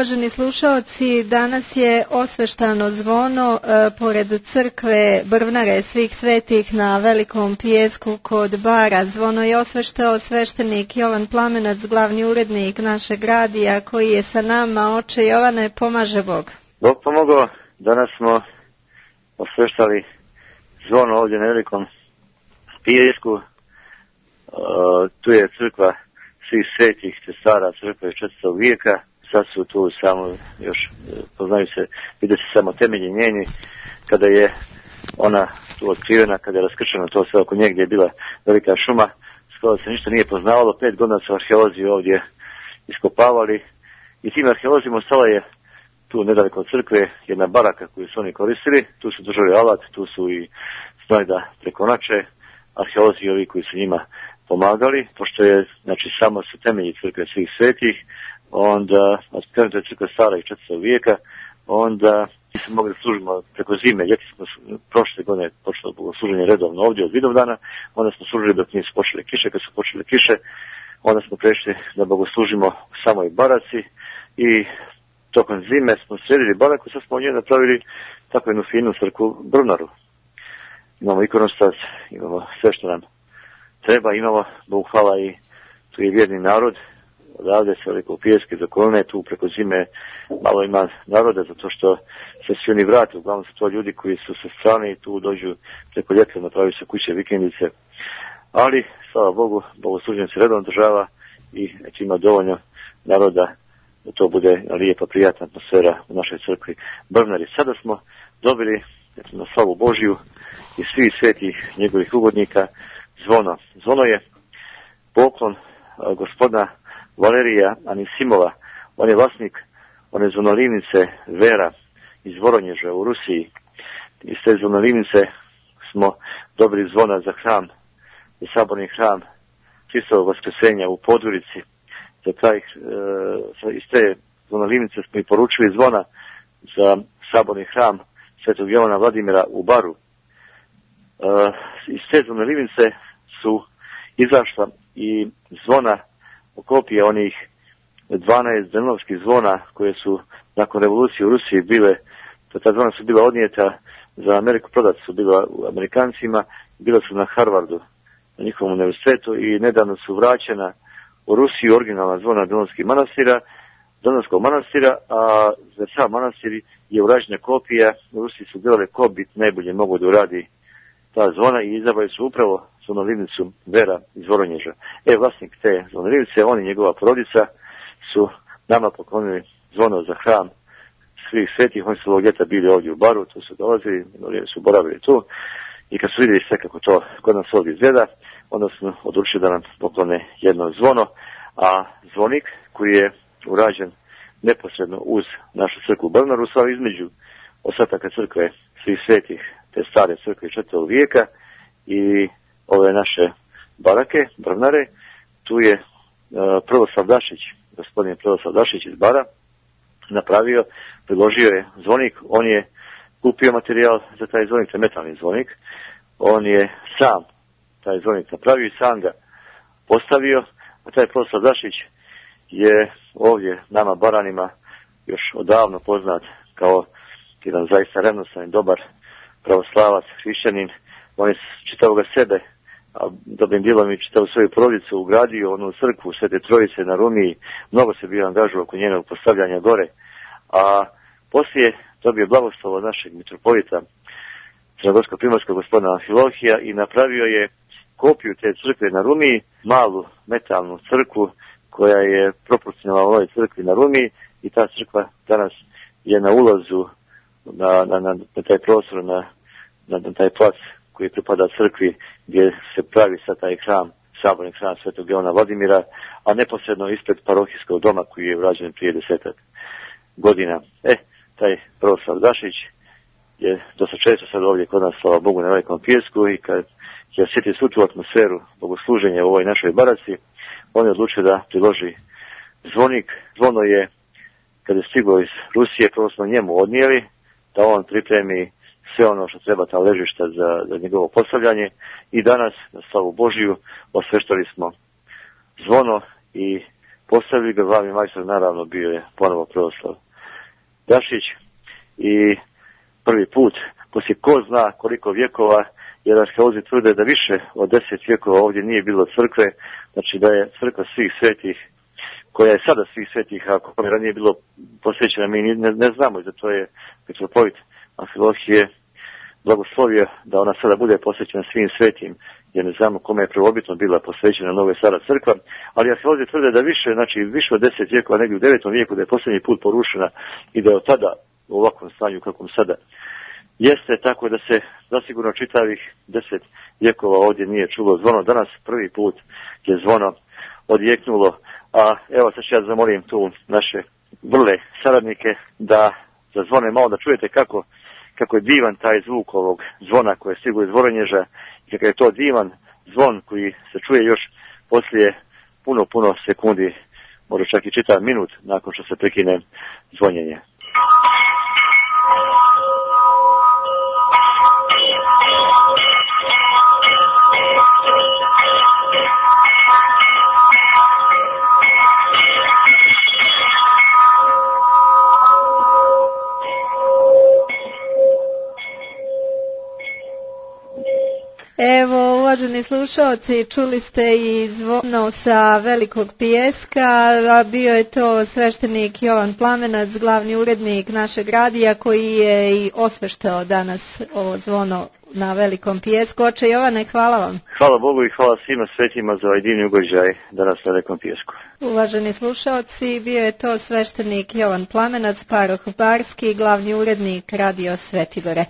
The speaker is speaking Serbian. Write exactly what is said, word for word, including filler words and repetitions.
Uvaženi slušaoci, danas je osveštano zvono e, pored crkve Brvnare svih svetih na Velikom Pijesku kod Bara. Zvono je osveštao sveštenik Jovan Plamenac, glavni urednik našeg radija, koji je sa nama. Oče Jovane, pomaže Bog. Bog pomogao. Danas smo osveštali zvono ovdje na Velikom Pijesku. E, tu je crkva svih svetih, te stara crkva iz četvrtog vijeka. Sad su tu samo još, poznaju se, vide se samo temelji njeni, kada je ona tu otkrivena, kada je raskrčeno to sve oko nje gdje je bila velika šuma, skoro se ništa nije poznavalo. Pet godina su arheolozi ovdje iskopavali i tim arheolozima ostala je tu nedaleko od crkve jedna baraka koju su oni koristili. Tu su držali alat, tu su i znali da prekonače arheolozi ovi koji su njima pomagali, pošto je, znači, samo su temelji crkve svih svetih, onda, krenuto je crkva stara iz četvrtog vijeka, onda nismo mogli služimo preko zime, ljeti smo prošle godine počelo bogosluženje redovno ovdje od Vidovdana, onda smo služili dok nisu počele kiše, kad su počele kiše, onda smo prešli da bogoslužimo u samoj baraci i tokom zime smo sredili baraku, sad smo od nje napravili tako jednu finu crkvu Brvnaru. Imamo ikonostas, imamo sve što nam treba, imamo, Bog hvala, i tu je vjerni narod, odavde se Veliko Pijeske do Kolne, tu preko zime malo ima naroda, zato što se svi oni vrate, uglavnom su to ljudi koji su sa strane i tu dođu preko ljeta, napravi se kuće, vikendice, ali, slava Bogu, bogosluženje se redovno država i eto, ima dovoljno naroda da to bude lijepa, prijatna atmosfera u našoj crkvi Brvnari. Sada smo dobili, eto, na slavu Božiju i svih svetih njegovih ugodnika zvono. Zvono je poklon a, gospodina Valerija Anisimova. On je vlasnik one zvonolivnice Vera iz Voronježa u Rusiji. Iz te zvonolivnice smo dobili zvona za hram, za saborni hram Hristovog Vaskrsenja u Podgorici. Za taj, e, iz te zvonolivnice smo i poručili zvona za saborni hram Svetog Jovana Vladimira u Baru. E, iz te zvonolivnice su izašla i zvona, kopije onih dvanaest drenovskih zvona koje su nakon revolucije u Rusiji bile, ta zvona su bila odnijeta za Ameriku, prodata su bila u Amerikancima, bila su na Harvardu, na njihovom univerzitetu, i nedavno su vraćena u Rusiju originalna zvona Drenovskih manastira, Drenovskog manastira, a za sam manastir je urađena kopija. U Rusiji su gledali ko bi najbolje mogo da uradi ta zvona i izabrali su upravo zvonolivnicu Vera iz Voronježa. E, vlasnik te zvonolivnice, on i njegova porodica su nama poklonili zvono za hram svih svetih. Oni su ovog ljeta bili ovdje u Baru, tu su dolazili, su boravili tu, i kad su vidjeli sve kako to kod nas ovdje izgleda, onda smo odlučili da nam poklone jedno zvono, a zvonik koji je urađen neposredno uz našu crkvu Brvnaru, sva između ostataka crkve svih svetih, te stare crkve četvrtog vijeka i ove naše barake, Brvnare. Tu je uh, Prvoslav Dašić, gospodin Prvoslav Dašić iz Bara, napravio, priložio je zvonik. On je kupio materijal za taj zvonik, to je metalni zvonik. On je sam taj zvonik napravio i sam ga postavio, a taj Prvoslav Dašić je ovdje nama Baranima još odavno poznat kao jedan zaista revnosan i dobar pravoslavac, hrišćanin. On je čitavoga sebe, a dobrim dijelom i čitavu svoju porodicu ugradio onu crkvu Svete Trojice na Rumiji. Mnogo se bio angažovao oko njenog postavljanja gore, a poslije dobio blagoslov od našeg mitropolita crnogorsko-primorskog gospodina Amfilohija i napravio je kopiju te crkve na Rumiji, malu metalnu crkvu koja je proporcionalna ovoj crkvi na Rumiji, i ta crkva danas je na ulazu na, na, na, na taj prostor, na, na, na taj plac koji pripada crkvi gdje se pravi sad taj hram, saborni hram Svetog Jovana Vladimira, a neposredno ispred parohijskog doma koji je urađen prije desetak godina. E, taj Prvoslav Dašić je dosta često sad ovdje kod nas, slava Bogu, na Velikom Pijesku, i kad će osjetiti svu tu atmosferu bogosluženja u ovoj našoj baraci, on je odlučio da priloži zvonik. Zvono je, kada je stiglo iz Rusije, prvo smo njemu odnijeli, da on pripremi sve ono što treba, ta ležišta za, za njegovo postavljanje, i danas, na slavu Božiju, osveštali smo zvono i postavili ga, glavni majstor naravno bio je ponovo Proslav Gašić i prvi put, poslije ko zna koliko vjekova, jer arheolozi tvrde da više od deset vjekova ovdje nije bilo crkve, znači da je crkva svih svetih, koja je sada svih svetih, ako ranije bilo posvećena, mi ne, ne znamo, da to je metropolit Amfilohije blagoslovio da ona sada bude posvećena svim svetim, jer ne znamo kome je prvobitno bila posvećena Nova Stara crkva, ali arheolozi tvrde da više, znači više od deset vjekova, negdje u devetom vijeku, da je posljednji put porušena i da je od tada u ovakvom stanju kakvom sada jeste, tako da se zasigurno čitavih deset vjekova ovdje nije čulo zvono. Danas prvi put je zvono odjeknulo, a evo sad ću ja zamolim tu naše vrle saradnike da zazvone malo, da čujete kako, kako je divan taj zvuk ovog zvona koje je stiglo iz Voronježa i kako je to divan zvon koji se čuje još poslije puno, puno sekundi, možda čak i čitav minut nakon što se prekine zvonjenje. Evo, uvaženi slušalci, čuli ste i zvono sa Velikog Pijeska, a bio je to sveštenik Jovan Plamenac, glavni urednik našeg radija, koji je i osveštao danas ovo zvono na Velikom Pijesku. Oče Jovane, hvala vam. Hvala Bogu i hvala svima svetima za ovaj divni ugođaj danas na Velikom Pijesku. Uvaženi slušalci, bio je to sveštenik Jovan Plamenac, paroh Barski, glavni urednik Radio Svetigore.